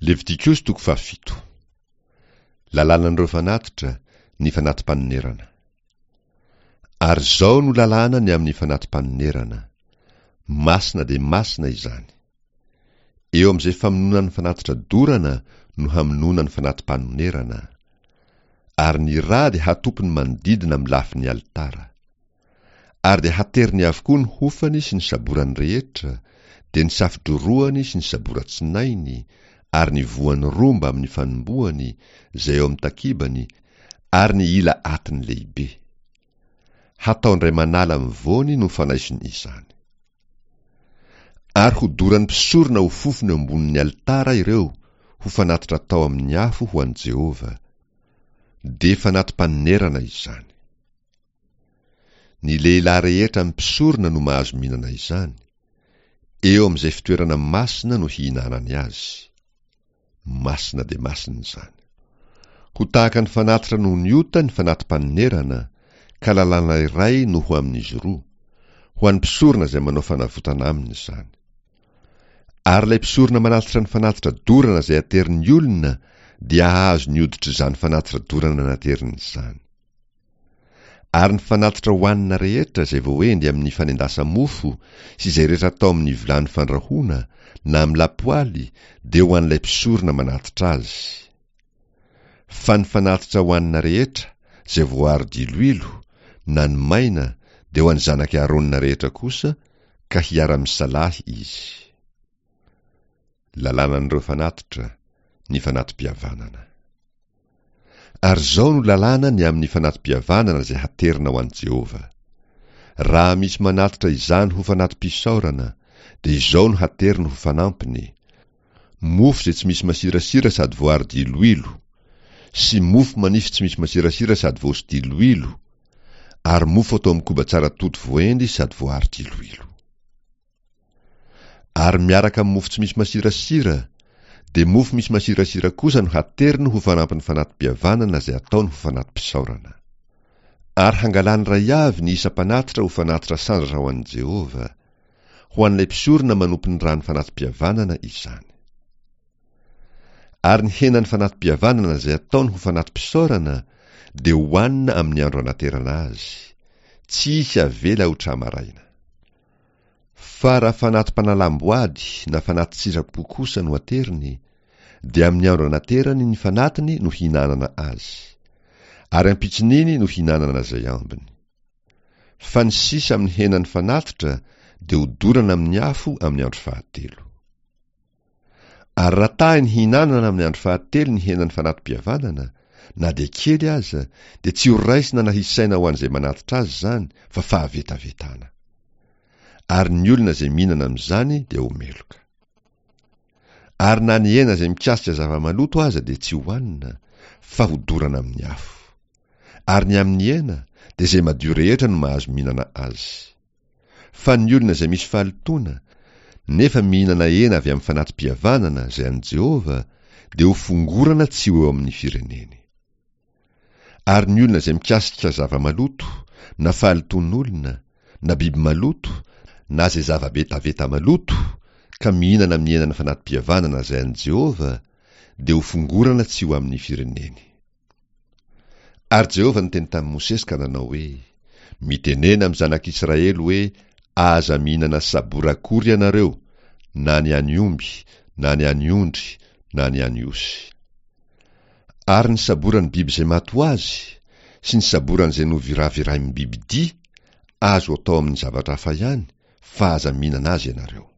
Levitikosy toko fahafito. Lalànan'ireo fanatitra, ny fanati-panonerana. Ary izao no lalàna ny amin'ny fanati-panonerana, Masina dia masina izany. Eo amin'izay famonoana ny fanatitra dorana no hamonoana ny fanati-panonerana. Ary ny rà dia hatopy ny manodidina amin'ny lafin'ny alitara. Ary dia hateriny avokoa ny hofany sy ny saborany rehetra, dia ny safo-drorohany sy ny sabora-tsinainy, ary ny voany roa mbamin'ny fanombohany, izay eo amin'ny takibany, ary ny ila atiny lehibe. Hatao indray manala amin'ny voany no fanaisony izany. Ary hodoran'ny mpisorona ho fofona eo ambonin'ny alitara ireo, ho fanatitra atao amin'ny afo ho an'i Jehovah. Dia fanati-panonerana izany. Ny lehilahy rehetra amin'ny mpisorona no mahazo mihinana izany. Eo amin'izay fitoerana masina no hihinanany azy. Masina dia masina izany. Ho tahaka ny fanatitra noho ny ota ny fanati-panonerana, ka lalàna iray no ho amin'izy roa, ho an'ny mpisorona izay manao fanavotana aminy izany. Ary ilay mpisorona manatitra ny fanatitra dorana izay aterin'ny olona dia hahazo ny hoditr'izany fanatitra dorana nateriny izany. Ary ny fanatitra hohanina rehetra izay voaendy amin'ny fanendasa-mofo sy izay rehetra atao amin'ny vilany fandrahoana na amin'ny lapoaly dia ho an'ilay mpisorona manatitra azy. Fa ny fanatitra hohanina rehetra izay voaaro diloilo na ny maina dia ho an'ny zanak'i Arona rehetra kosa ka hiara-misalahy izy. Lalànan'ireo fanatitra, ny fanati-pihavanana. Ary izao no lalàna ny amin'ny fanati-pihavanana izay haterina ho an'i Jehovah. Raha misy manatitra izany ho fanati-pisaorana, dia izao no hateriny ho fanampiny, mofo izay tsy misy masirasira sady voaaro diloilo, sy mofo manify tsy misy masirasira sady voaso-diloilo, ary mofo atao amin'ny koba tsara toto voaendy sady voaaro diloilo. Ary miaraka amin'ny mofo tsy misy masirasira, dia mofo misy masirasira kosa no hateriny ho fanampin'ny fanati-pihavanana izay ataony ho fanati-pisaorana. Ary hangalany iray avy ny isam-panatitra ho fanatitra sandratra ho an'i Jehovah, ho an'ilay mpisorona manompo ny ran'ny fanati-pihavanana izany. Ary ny henan'ny fanati-pihavanana izay ataony ho fanati-pisaorana dia hohanina amin'ny andro anaterana azy, tsy hisy avela ho tra-maraina. Fa raha fanati-panalam-boady na fanati-tsitrapo kosa no ateriny, dia amin'ny andro anaterany ny fanatiny no hihinanana azy, ary ampitson'iny no hihinanana izay ambiny. Fa ny sisa amin'ny henan'ny fanatitra dia hodorana amin'ny afo amin'ny andro fahatelo. Ary raha tahiny hihinanana amin'ny andro fahatelo ny henan'ny fanati-pihavanana, na dia kely aza, dia tsy ho raisina na hisaina ho an'izay manatitra azy izany, fa fahavetavetana. Ary ny olona izay mihinana amin'izany dia ho meloka. Ary na ny hena izay mikasika zava-maloto aza dia tsy hohanina, fa hodorana amin'ny afo. Ary ny amin'ny hena, dia izay madio rehetra no mahazo mihinana azy. Fa ny olona izay misy fahalotoana, nefa mihinana hena avy amin'ny fanati-pihavanana izay an'i Jehovah, dia ho fongorana tsy ho eo amin'ny fireneny. Ary ny olona izay mikasika zava-maloto, na fahalotoan'olona, na biby maloto, na izay zava-betaveta maloto, ka mihinana amin'ny henan'ny fanati-pihavanana izay an'i Jehovah, dia ho fongorana tsy ho amin'ny fireneny. Ary Jehovah niteny tamin'i Mosesy ka nanao hoe, Mitenena amin'ny zanak'Israely hoe, Aza mihinana sabora akory ianareo, na ny an'ny omby, na ny an'ny ondry, na ny an'ny osy. Ary ny saboran'ny biby izay maty ho azy, sy ny saboran'izay noviravirain'ny bibi-dia, azo atao amin'ny zavatra hafa ihany, fa aza mihinana azy ianareo.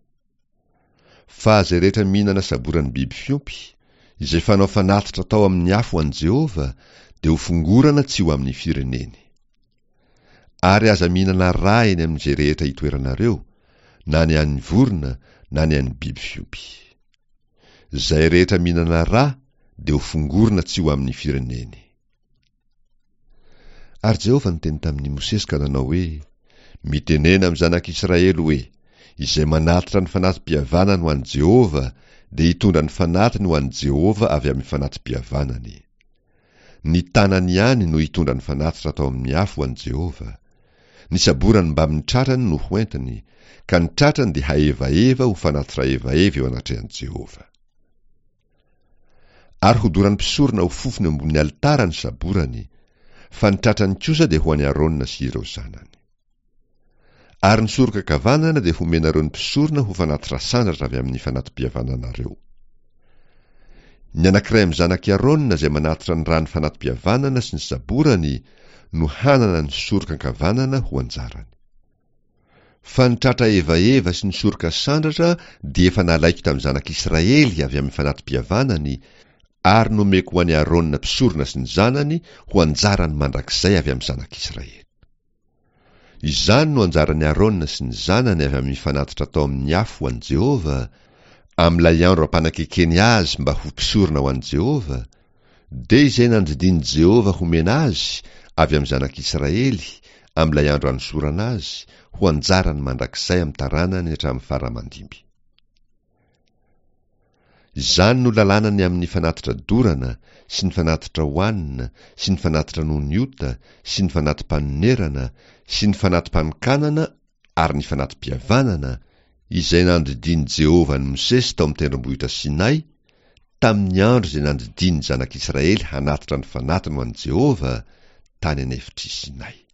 Fa izay rehetra mihinana saboran'ny biby fiompy, izay fanao fanatitra atao amin'ny afo ho an'i Jehovah, dia hofongorana tsy ho amin'ny fireneny. Ary aza mihinana rà eny amin'izay rehetra itoeranareo, na ny an'ny vorona na ny an'ny biby fiompy. Izay rehetra mihinana rà dia hofongorona tsy ho amin'ny fireneny. Ary Jehovah niteny tamin'i Mosesy ka nanao hoe, Mitenena amin'ny zanak'Israely hoe, 'Izay manatitra ny fanati-pihavanany ho an'i Jehovah dia hitondra ny fanatiny ho an'i Jehovah avy amin'ny fanati-pihavanany. Ny tanany ihany no hitondra ny fanatitra atao amin'ny afo ho an'i Jehovah. Ny saborany mbamin'ny tratrany no hoentiny, ka ny tratrany dia hahevaheva ho fanatitra hevaheva eo anatrehan'i Jehovah. Ary hodoran'ny mpisorona ho fofona eo ambonin'ny alitara ny saborany, fa ny tratrany kosa dia ho an'i Arona sy ireo zanany. Ary ny soroka ankavanana dia homenareo ny mpisorona ho fanatitra sandratra avy amin'ny fanati-pihavananareo. Ny anankiray amin'ny zanak'i Arona izay manatitra ny ran'ny fanati-pihavanana sy ny saborany no hanana ny soroka ankavanana ho anjarany. Fa ny tratra evaheva sy ny soroka sandratra dia efa nalaiko tamin'ny zanak'Israely avy amin'ny fanati-pihavanany ary nomeko ho an'i Arona mpisorona sy ny zanany ho anjarany mandrakizay avy amin'ny zanak'Israely. Izany no anjaran'i Arona sy ny zanany avy amin'ny fanatitra atao amin'ny afo ho an'i Jehovah, amin'ilay andro ampanakekeny azy mba ho mpisorona ho an'i Jehovah, dia izay nandidian'i Jehovah homena azy avy amin'ny zanak'Israely, amin'ilay andro anosorana azy, ho anjarany mandrakizay amin'ny taranany hatramin'ny fara aman-dimby. Izany no lalàna ny amin'ny fanatitra dorana, sy ny fanatitra hohanina, sy ny fanatitra noho ny ota, sy ny fanati-panonerana, sy ny fanati-panokanana ary ny fanati-pihavanana, izay nandidian'i Jehovah an'i Mosesy tao amin'ny tendrombohitra Sinay, tamin'ny andro izay nandidiany ny zanak'Israely hanatitra ny fanatiny ho an'i Jehovah, tany an'efitr'i Sinay.